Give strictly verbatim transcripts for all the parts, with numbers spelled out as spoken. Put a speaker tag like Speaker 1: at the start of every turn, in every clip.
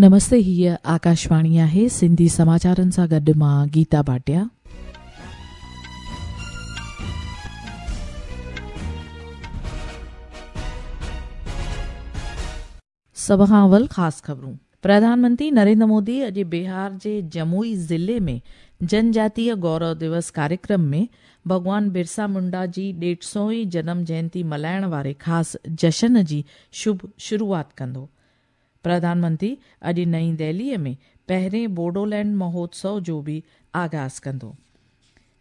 Speaker 1: नमस्ते, हीअ आकाशवाणी आहे। सिंधी समाचारनि सां गॾु मां गीता भाटिया। सभ खां अवल ख़ासि ख़बरूं। प्रधानमंत्री नरेंद्र मोदी अॼु बिहार जे जमुई ज़िले में जनजातीय गौरव दिवस कार्यक्रम में भॻवान बिरसा मुंडा जी ॾेढ सौ जनम जयंती मल्हाइण वारे ख़ासि जशन जी शुभ शुरूआत कंदो। प्रधानमंत्री अॼु नई दिल्लीअ में पहिरें बोडोलैंड महोत्सव जो बि आगाज़ कंदो।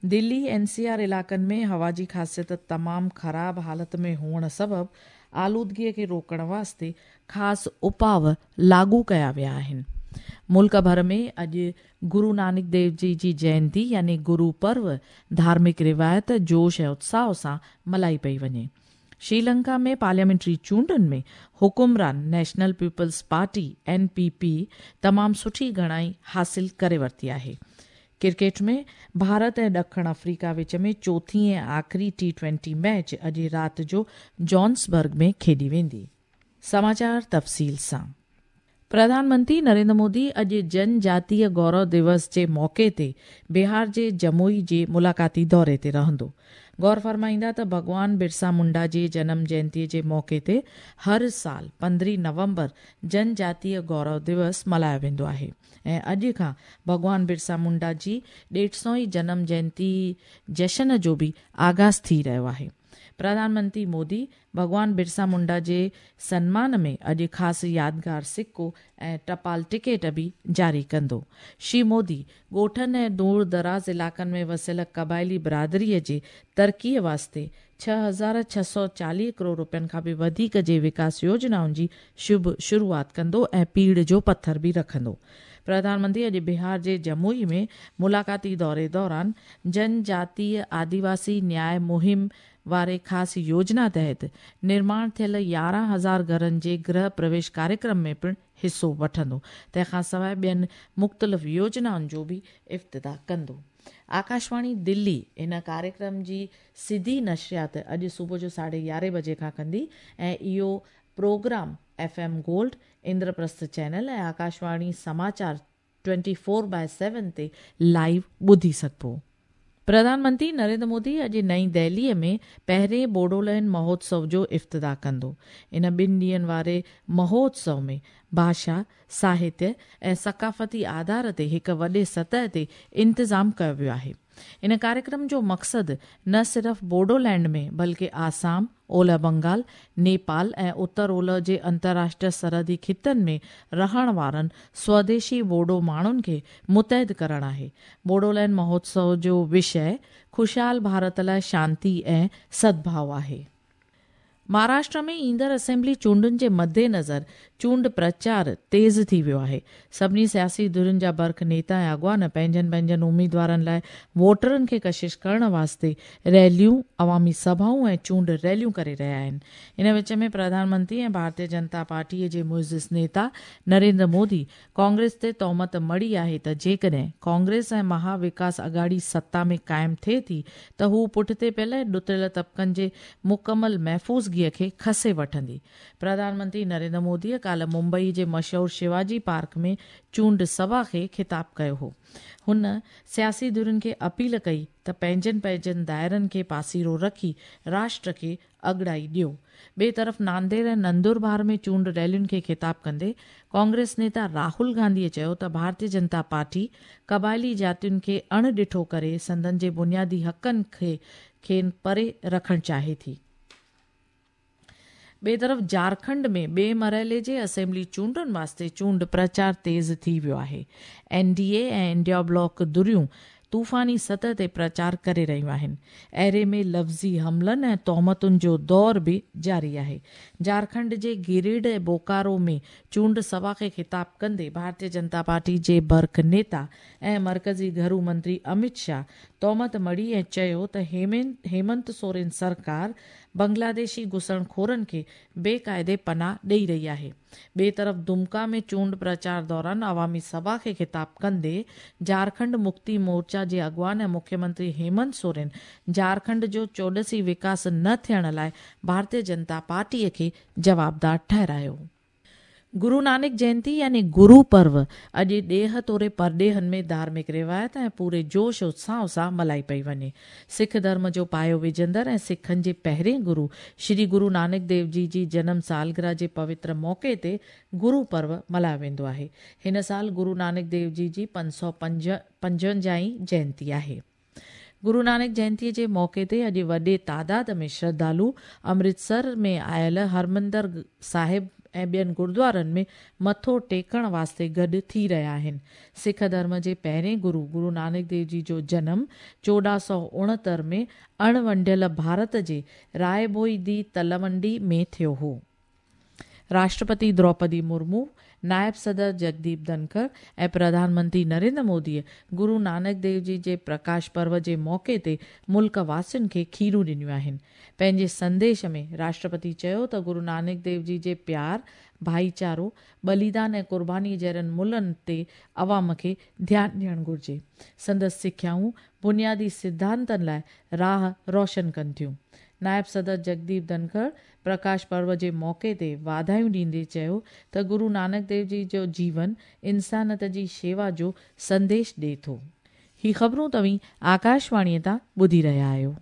Speaker 1: दिल्ली एन सी आर इलाइक़नि में हवा जी ख़ासियत तमामु ख़राब हालत में हुअण सबबु आलूदगीअ खे रोकण वास्ते ख़ासि उपाव लागू कया विया आहिनि। मुल्क भर में अॼु गुरु नानक देव जी जी जयंती यानी गुरु पर्व धार्मिक रिवायत, जोश ऐं उत्साह सां मल्हाई पई वञे। श्रीलंका में पार्लियामेंट्री चूंडनि में हुकुमरान national peoples party N P P तमामु सुठी घणाई हासिल करे वरिती आहे। क्रिकेट में भारत ऐं ॾखिण अफ्रीका विच में चोथी ऐं आख़िरी टी ट्वेंटी मैच अॼु राति जो जॉन्सबर्ग में खेॾी वेंदी। समाचार तफ़सील सां। प्रधानमंत्री नरेंद्र मोदी अॼु जनजातीय गौरव दिवस जे मौक़े ते बिहार जे जमुई जे मुलाक़ाती दौरे ते रहंदो। गौर फरमाईंदा त भॻवान बिरसा मुंडा जे जनम जयंतीअ जे मौक़े ते हर साल पंद्रहीं नवंबर जनजातीय गौरव दिवस मल्हायो वेंदो आहे ऐं अॼु खां भॻवान बिरसा मुंडा जी ॾेढ सौ जनम जयंती जशन जो बि आगाज़ थी रहियो आहे। प्रधानमंत्री मोदी भॻवान बिरसा मुंडा जे सन्मान में अॼु ख़ासि यादगार सिक्को ऐं टपाल टिकेट बि जारी कंदो। श्री मोदी ॻोठनि ऐं दूर दराज़ इलाइक़नि में वसियल क़बाइली बिरादरीअ जे तरक़ीअ वास्ते छह हज़ार छह सौ चालीह करोड़ रुपयनि खां बि वधीक जे विकास योजनाउनि जी शुभ शुरूआत कंदो ऐं पीड़ जो पथर बि रखंदो। प्रधानमंत्री अॼु बिहार जे जमुई में मुलाक़ाती दौरे दौरान जनजातीय आदिवासी न्याय मुहिम वारे ख़ासि योजना तहत निर्माण थियल यारहं हज़ार घरनि जे गृह प्रवेश कार्यक्रम में पिणु हिसो वठंदो। तंहिंखां सवाइ ॿियनि मुख़्तलिफ़ योजनाउनि जो बि इफ़्तिताह कंदो। आकाशवाणी दिल्ली इन कार्यक्रम जी सिधी नशरियात अॼु सुबुह जो साढे यारहें बजे खां कंदी ऐं इहो programme F M gold, Indraprastha channel ऐं आकाशवाणी समाचार ट्वेंटी फोर बाय सेवन ते लाइव ॿुधी सघिबो। प्रधानमंत्री नरेंद्र मोदी अॼु नई दिल्लीअ में पहिरें बोडोलैंड महोत्सव जो इफ़्तिताह कंदो। इन ॿिनि ॾींहंनि वारे महोत्सव में भाषा, साहित्य ऐं सकाफ़ती आधार ते हिकु वॾे सतह ते इंतज़ामु कयो वियो आहे। इन कार्यक्रम जो मक़सदु न सिर्फ़ बोडोलैंड में बल्कि आसाम, ओलह बंगाल, नेपाल ऐं उत्तर ओलह जे अंतर्राष्ट्रीय सरहदी ख़ितनि में रहण वारनि स्वदेशी बोडो माण्हुनि खे मुतहद करणु आहे। बोडोलैंड महोत्सव जो विषय ख़ुशहाल भारत लाइ शांति ऐं सद्भाव आहे। महाराष्ट्र में ईंदड़ असेंबली चूंडुनि जे मद्देनज़र चूंड प्रचार तेज़ थी वियो आहे। सभिनी सियासी धुरियुनि जा बर्ख नेता ऐं अॻवान पंहिंजनि पंहिंजनि उमेदवारनि लाइ वोटरनि खे कशिश करण वास्ते रैलियूं, अवामी सभाऊं ऐं चूंड रैलियूं करे रहिया आहिनि। इन विच में प्रधानमंत्री ऐं भारतीय जनता पार्टीअ जे मुइज़िज़ नेता नरेंद्र मोदी कांग्रेस ते तोहमत मढ़ी आहे त जेकॾहिं कांग्रेस ऐं महाविकास अघाड़ी सत्ता में क़ाइमु थिए थी त हू पुठिते पियल ऐं ॾुतरियल तबिकनि जे मुकमल महफ़ूज़गीअ खे खसे वठंदी। प्रधानमंत्री नरेंद्र मोदीअ काल्ह मुंबई जे मशहूर शिवाजी पार्क में चूंड सभा खे ख़िताब कयो हो। हुन सियासी धुरियुनि खे अपील कई त पंहिंजनि पंहिंजनि दायरनि खे पासीरो रखी राष्ट्र खे अॻड़ाई ॾियो। ॿिए तरफ़ नांदेड़ ऐं नंदुरबार में चूंड रैलियुनि खे ख़िताब कंदे कांग्रेस नेता राहुल गांधीअ चयो त भारतीय जनता पार्टी क़बाइली जातियुनि खे अण ॾिठो करे संदन जे बुनियादी हक़नि खे खेनि परे रखणु चाहे थी। ॿिए तरफ़ झारखंड में ॿिए मरहले जे असेंबली चूंडुनि वास्ते चूंड प्रचार तेज़ थी वियो आहे। एन डी ए ऐं इंडिया ब्लॉक धुरियूं तूफ़ानी सतह ते प्रचार करे रहियूं आहिनि। अहिड़े में लफ़्ज़ी हमलनि ऐं तोहमतुनि जो दौर बि जारी आहे। झारखंड जे गिरिड ऐं बोकारो में चूंड सभा खे ख़िताब कंदे भारतीय जनता पार्टी जे बर्ख नेता ऐं मर्कज़ी घरू मंत्री अमित शाह तोहमत मढ़ी ऐं चयो त हेमंत सोरेन सरकार बांग्लादेशी घुसणखोरनि खे बेक़ाइदे पनाह ॾेई रही आहे। ॿिए तरफ़ दुमका में चूंड प्रचार दौरान अवामी सभा खे ख़िताब कंदे झारखंड मुक्ति मोर्चा जे अॻवान ऐं मुख्यमंत्री हेमंत सोरेन झारखंड जो चौॾसी विकास न थियण लाइ भारतीय जनता पार्टीअ खे जवाबदार ठहिरायो। गुरू नानक जयंती यानी गुरू पर्व अॼु ॾेह तोड़े परॾेहनि में धार्मिक रिवायत ऐं पूरे जोश उत्साह सां मल्हाई पई वञे। सिख धर्म जो पायो विझंदड़ ऐं सिखनि जे पहिरें गुरू श्री गुरू नानक देव जी जी जनम सालगिरह जे पवित्र मौक़े ते गुरू पर्व मल्हायो वेंदो आहे। हिन साल गुरू नानक देव जी जी पंज सौ पंज पंजवंजाह जयंती आहे। गुरू नानक जयंतीअ जे मौक़े ते अॼु वॾे तादाद में श्रद्धालु अमृतसर में आयल हरमंदर साहिब ऐं ॿियनि गुरुद्वारनि में मथो टेकण वास्ते गॾु थी रहिया आहिनि। सिख धर्म जे पहिरें गुरू गुरू नानक देव जी जो जनम चोॾहं सौ उणहतरि में अणवंडियल भारत जे रायभोई दी तलवंडी में थियो हो। राष्ट्रपति द्रौपदी मुर्मू, नायब सदर जगदीप धनखड़ ऐं प्रधानमंत्री नरेंद्र मोदीअ गुरू नानक देव जी जे प्रकाश पर्व जे मौक़े ते मुल्क वासियुनि खे खीरूं ॾिनियूं आहिनि। पंहिंजे संदेश में राष्ट्रपति चयो त गुरू नानक देव जी जे प्यार, भाईचारो, बलिदान ऐं कुर्बानी जहिड़नि मुलनि ते अवाम खे ध्यानु ॾियणु घुरिजे। संदसि सिख्याऊं बुनियादी सिद्धांतनि लाइ राह रोशन कनि थियूं। नायब सदर जगदीप धनखड़ प्रकाश पर्व जे मौक़े ते वाधायूं ॾींदे चयो त गुरू नानक देव जी जो जीवन इंसानियत जी शेवा जो संदेश ॾिए थो। ही ख़बरूं तव्हीं आकाशवाणीअ तां ॿुधी रहिया आहियो।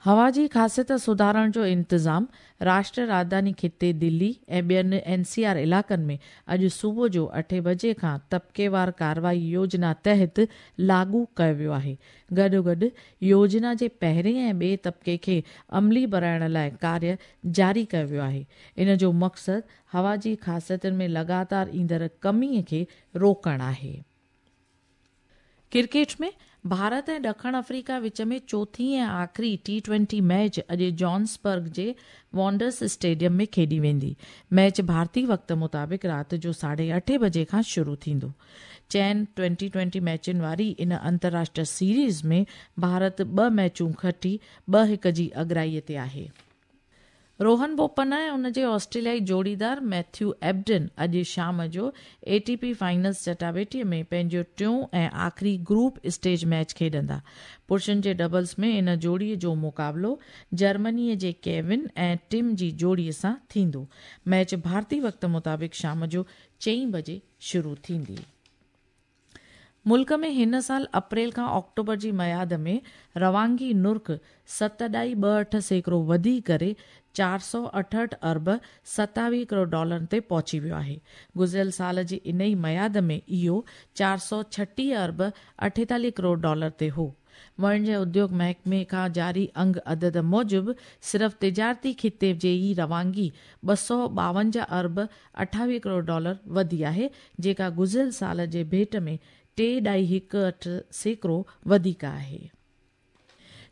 Speaker 1: हवा जी ख़ासियत सुधारण जो इंतज़ाम राष्ट्रीय राजधानी ख़िते दिल्ली ऐं ॿियनि एन सी आर इलाइक़नि में अॼु सुबुह जो अठे बजे खां तबकेवार कार्रवाई योजना तहत लागू कयो वियो आहे। गॾोगॾु योजना जे पहिरें ऐं ॿिए तबके खे अमली बणाइण लाइ कार्य जारी कयो वियो आहे। इन जो मक़सदु हवा जी ख़ासियतुनि में लगातार ईंदड़ कमीअ खे रोकणु आहे। क्रिकेट में भारत ऐं ॾखण अफ्रीका विच में चोथी ऐं आख़िरी टी ट्वेंटी मैच अॼु जॉन्सबर्ग जे वॉन्डर्स स्टेडियम में खेॾी वेंदी। मैच भारतीय वक़्त मुताबिक़ राति जो साढे अठे बजे खां शुरू थींदो। चइनि ट्वेंटी ट्वेंटी मैचुनि वारी इन अंतर्राष्ट्रीय सीरीज़ में भारत ॿ मैचूं खटी ॿ हिकु जी अगराईअ ते आहे। रोहन बोपन्ना ऐं उन जे ऑस्ट्रेलियाई जोड़ीदार मैथ्यू एबडन अॼु शाम जो ए टी पी फाइनल्स चटाबेटीअ में पंहिंजो टियों ऐं आख़िरी ग्रुप स्टेज मैच खेॾंदा। पुरुषनि जे डबल्स में इन जोड़ीअ जो मुक़ाबिलो जर्मनीअ जे केविन ऐं टिम जी जोड़ीअ सां थींदो। मैच भारतीय वक़्त मुताबिक़ शाम जो चईं बजे शुरू थींदी। मुल्क में हिन साल अप्रैल खां ऑक्टोबर जी मयाद में रवानगी नुर्ख सत ॾाई ॿ अठ सैकड़ो वधी करे चार सौ अठहठि अरब सतावीह करोड़ डॉलरनि ते पहुची वियो आहे। गुज़िरियल साल जी इन ई मयाद में इहो चार सौ छटीह अरब अठेतालीह करोड़ डॉलर ते हो। वाणिज्य उद्योग महकमे खां जारी अंग अदद मूजिबि सिर्फ़ तिजारती ख़िते जे ई रवानगी ॿ सौ ॿावंजाह अरब अठावीह करोड़ डॉलर वधी आहे, जेका गुज़िरियल साल जे भेंट में टे ॾाई हिकु अठ सैकड़ो वधीक आहे।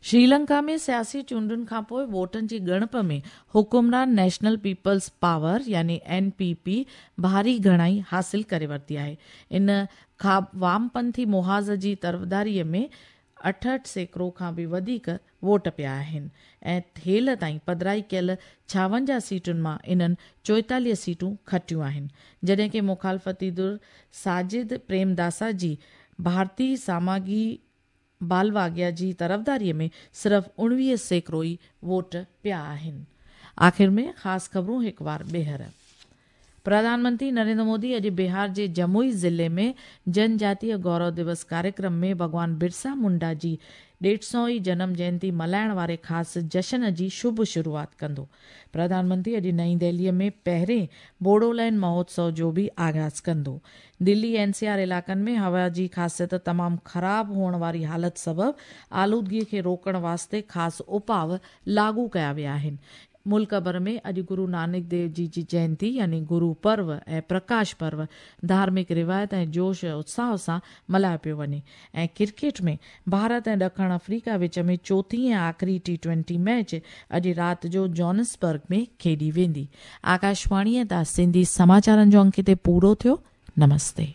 Speaker 1: श्रीलंका में सियासी चूंडुनि खां पोइ वोटनि जी ॻणप में हुकुमरान नेशनल पीपल्स पावर यानी एन पी पी भारी घणाई हासिल करे वरिती आहे। इन खां वामपंथी मुहाज़ जी तरफ़दारीअ में अठहठि सैकड़ो खां बि वधीक वोट पिया आहिनि ऐं हेल ताईं पधराई कयल छावंजाह सीटुनि मां इन्हनि चोएतालीह सीटूं खटियूं आहिनि, जॾहिं की मुखालफ़ती धुर साजिद प्रेमदासा जी भारतीय सामागी बालवागिया जी तरफ़दारीअ में सिर्फ़ उणिवीह सैकड़ो ई वोट पिया आहिनि। आख़िर में ख़ासि ख़बरूं हिकु वार ॿीहर। प्रधानमंत्री नरेंद्र मोदी अॼु बिहार जे जमुई ज़िले में जनजातीय गौरव दिवस कार्यक्रम में भॻवान बिरसा मुंडा जी ॾेढ सौ ई जनम जयंती मल्हाइण वारे ख़ासि जशन जी शुभ शुरूआत कंदो। प्रधानमंत्री अॼु नई दिल्लीअ में पहिरें बोडोलैंड महोत्सव जो बि आगाज़ कंदो। दिल्ली एन सी आर इलाइक़नि में हवा जी ख़ासियत तमामु ख़राब हुअण वारी हालत सबबु आलूदगीअ खे रोकण वास्ते ख़ासि उपाव लागू कया विया आहिनि। मुल्क भर में अॼु गुरू नानक देव जी जी जयंती यानी गुरू पर्व ऐं प्रकाश पर्व धार्मिक रिवायत ऐं जोश उत्साह सां मल्हायो पियो वञे। ऐं क्रिकेट में भारत ऐं ॾखण अफ्रीका विच में चोथी ऐं आख़िरी टी ट्वेंटी मैच अॼु राति जो जॉनसबर्ग में खेॾी वेंदी। आकाशवाणीअ तां सिंधी समाचारनि जो अंक हिते पूरो थियो। नमस्ते।